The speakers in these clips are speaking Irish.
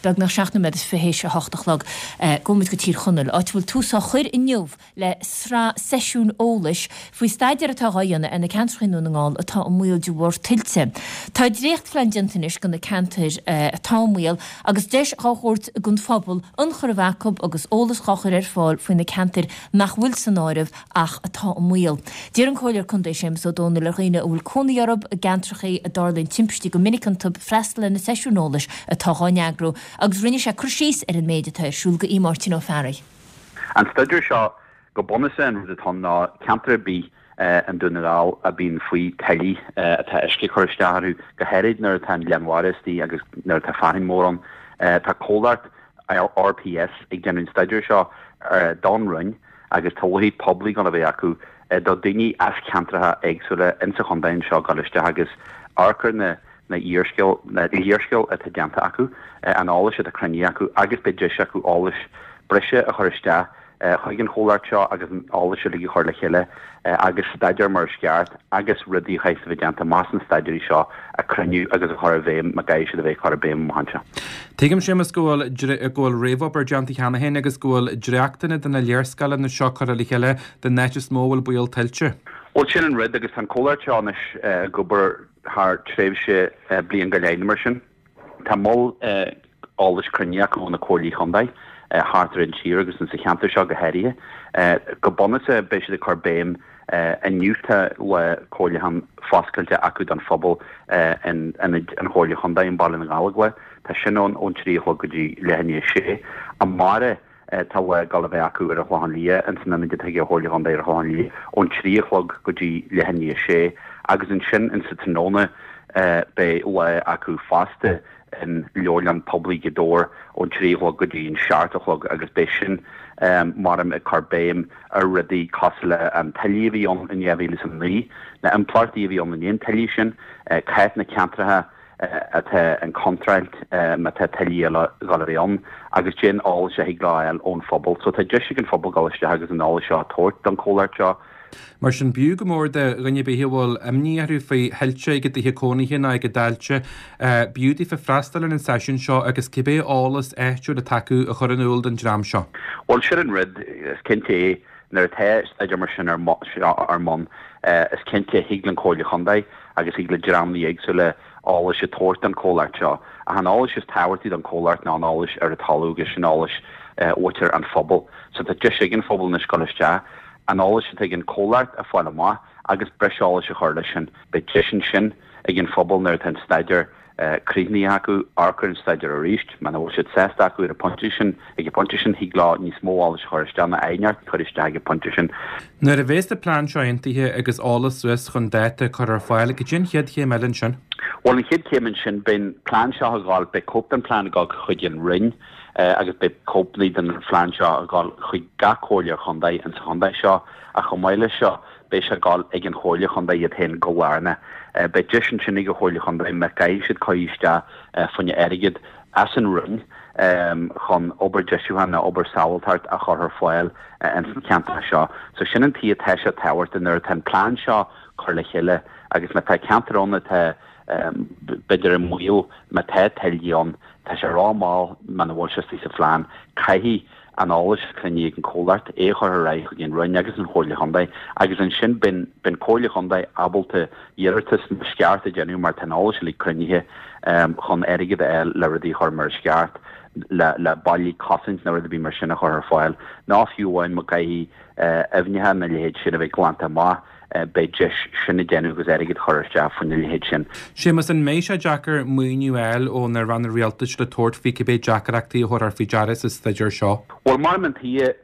Beagnach 7 nóiméad is théis a hocht a chlog. Gabhfaidh muid go Tír Chonaill, áit a bhfuil tús á chur inniu le sraith seisiún eolais faoi staidéar atá dhá dhéanamh ar na ceantracha i nDún na nGall atá i mbaol de bharr tuilte. Tá dréachtphlean déanta anois do na ceantair atá i mbaol agus deis dhá thabhairt don phobal ionchur a bheith acu agus eolas dhá chur ar fáil faoi na ceantair nach bhfuil san áireamh ach atá i mbaol. D'iarr an Comhairleoir Contae Séamus Ó Dónaill ar dhaoine a bhfuil cónaí orthu i gceantracha a dtarlaíonn timpistí go minic iontu freastal ar na seisiúin eolais atá dhá n-eagrú agus rinne sé cur síos ar an méid atá ar siúl do Mháirtín Ó Fearraigh. An staidéar seo, go bunúsach an rud atá ann ná ceantar ar bith i nDún na nGall a bíonn faoi tuillí, atá uisce ag cur isteach orthu, go háirid nuair atá an lán mhara istigh agus nuair atá fearthainn mór ann. Tá comhlacht RPS ag déanamh an staidéir seo don Roinn agus tá lá poiblí ag gabháil a bheith acu do daoine as ceantracha éagsúla insa chontae anseo gabháil isteach agus amharc ar na na léarscáil na léarscáil atá déanta acu, an eolais atá cruinnithe acu agus beidh deis acu eolas breise a chur isteach chuig an chomhlacht seo agus an eolas uilig a chur le chéile agus staidéar mar is ceart agus rudaí a chaithfeas a bheith déanta amach sna staidéirí seo a cruinniú agus a chur i bhfeidhm má gcaithfidh siad a bheith curtha i bhfeidhm amach anseo. Tuigim, Séamus, go bhfuil go bhfuil réamhobair déanta cheana féin agus go bhfuil dréachtanna de na léarscáileanna seo curtha le chéile den áit is mó a bhfuil baol tuilte. Bhuel, sin an rud agus tá an comhlacht seo anois ag obair thar tréimhse bliain go leith nó mar sin. Tá moll eolais cruinnithe acu ó na comhairlí chontae thart ar an tír agus insa cheantar seo go háirithe. Go bunúsach beidh siad ag cur béim inniu tá lá comhairliúcháin foscailte acu don phobal in ionad an Chomhairle Chontae i mBaile na nGallóglach. Tá sin ann ón 3 a chlog go dtí leath i ndiaidh a sé. Amárach tá lá ag gabháil a bheith acu ar an Chlochán Liath ins an ionad atá ag an Chomhairle Chontae ar an Chlochán Liath ón 3 a chlog go dtí leath i ndiaidh a sé agus ansin insa tráthnóna beidh lá acu fosta in Leabharlann Poiblí Ghaoth Dobhair ón 3 a chlog go dtí an 7 a chlog agus beidh sin maram ag cur béim ar rudaí cosúil le an tuile a bhí ann in 2009, na impleachtaí a bhí ann i ndiaidh an tuile sin, cá háit na ceantracha atá in contúirt má tá tuillí eile ag gabháil a bheith ann agus cén eolas a thig leo a fháil ón phobal. So tá deis ag an phobal dul isteach agus an eolas seo a tabhairt don chomhlacht seo. Mar sin, b'fhiú go mór do dhuine ar bith a bhfuil imní orthu faoi thuilte ag a dtithe cónaithe nó ag a dtailte, b'fhiú daofa freastal ar an seisiún seo agus cibé eolas áitiúil atá acu a chur in iúl don dream seo. Bhuel, sin an rud, is cinnte é, nuair atá staidéar mar sin ar bun, is cinnte, thig le an Chomhairle Chontae agus thig le dreamanna éagsúla eolais a tabhairt don chomhlacht seo. Ach an eolais is tábhachtaí don chomhlacht ná an eolais ar an talamh agus sin eolais mhuintir an phobail. So tá deis ag an phobal anois dul isteach, an eolais atá ag an chomhlacht a fáil amach agus breis eolais a chur leis sin. Beidh deis ansin ag an phobal nuair atá an staidéar críochnaithe acu, amharc ar an staidéar arís. Muna bhfuil siad sásta acu ar an phointe sin, ag an bpointe sin, thig leo níos mó eolais a chur isteach nó aighneacht a chur isteach ag an bpointe sin. Nuair a bhéas an plean seo aontaithe agus eolas suas chun dáta a chur ar fáil, cad é an chéad chéim eile ansin? Bhuel, an chéad chéim ansin, beidh an plean seo ag gabháil, beidh cóip den phlean ag gabháil chuig an Roinn agus beidh cóipeanna den phlean seo ag gabháil chuig gach comhairle chontae insa chontae seo ach chomh maith leis seo, Beidh sé ag gabháil ag an Chomhairle Chontae iad féin go lárnach. Beidh deis ansin ag an Chomhairle Chontae má gcaithfidh siad cur isteach fá choinne airgead as an Roinn chun obair deisiúcháin nó obair sábháilteacht a chur ar fáil ins an cheantar seo. So sin an tuige atá sé tábhachtach nuair atá an plean seo cur le chéile agus má tá ceantar ann atá b'fhéidir i mbaol, má tá tuillí ann, tá sé ró-mhall muna bhfuil sé istigh sa phlean, caithfidh an eolas a cruinníodh ag an chomhlacht, é a chur ar aghaidh chuig an Roinn agus an Chomhairle Chontae agus ansin beidh an Comhairle Chontae ábalta iarratas mar is ceart a dhéanamh mar tá an eolas uilig cruinnithe chun airgead a fháil le rudaí a chur mar is ceart, le le ballaí cosaint nó rud ar bith mar sin a chur ar fáil nó fiú amháin má caithfidh aibhneacha nó a leithéid sin a bheith glanta amach. beidh deis sin a dhéanamh agus airgead a chur isteach faoina leithéid sin. Séamus, an mbeidh sé deacair maoiniú a fháil ó na ranna rialtais le tabhairt faoi cibé deacrachtaí a thabharfar faoi deara sa staidéar seo? Bhuel, mar an tuige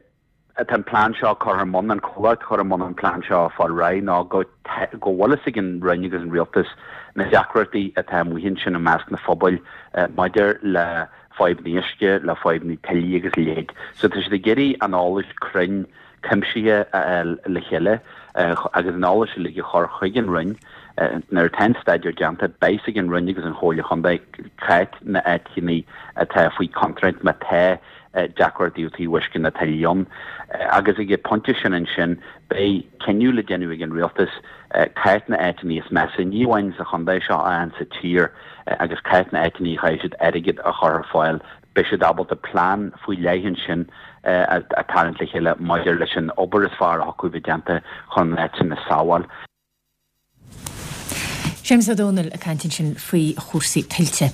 atá an plean seo curtha ar bun, an comhlacht curtha i mbun an plean seo a fáil réidh ná go go bhfuil fhios ag an Roinn agus an Rialtas na deacrachtaí atá amuigh ansin i measc na phobail maidir le fadhbanna uisce, le fadhbanna tuillí agus a leithéid. So tá siad ag iarraidh an eolas cruinn cuimsithe a fháil le chéile agus an eolas uilig a chur chuig an Roinn. Nuair atá an staidéar déanta, beidh fhios ag an Roinn agus an Chomhairle Chontae cá na áiteanna atá faoi chontúirt má tá deacrachtaí ó thaobh uisce nó tuillí ann. Agus ag an pointe sin ansin, beidh cinneadh le déanamh ag an Rialtas cá na áiteanna is measa, ní amháin sa chontae seo ach sa tír, agus cá na áiteanna a chaithfidh siad airgead a chur ar fáil. Beidh siad ábalta plean faoi leith ansin a tharraingt le chéile maidir leis an obair is fearr a thiocfadh bheith déanta chun an áit sin a sábháil. Séamus Ó Dónaill ag caint ansin faoi chúrsaí tuilte.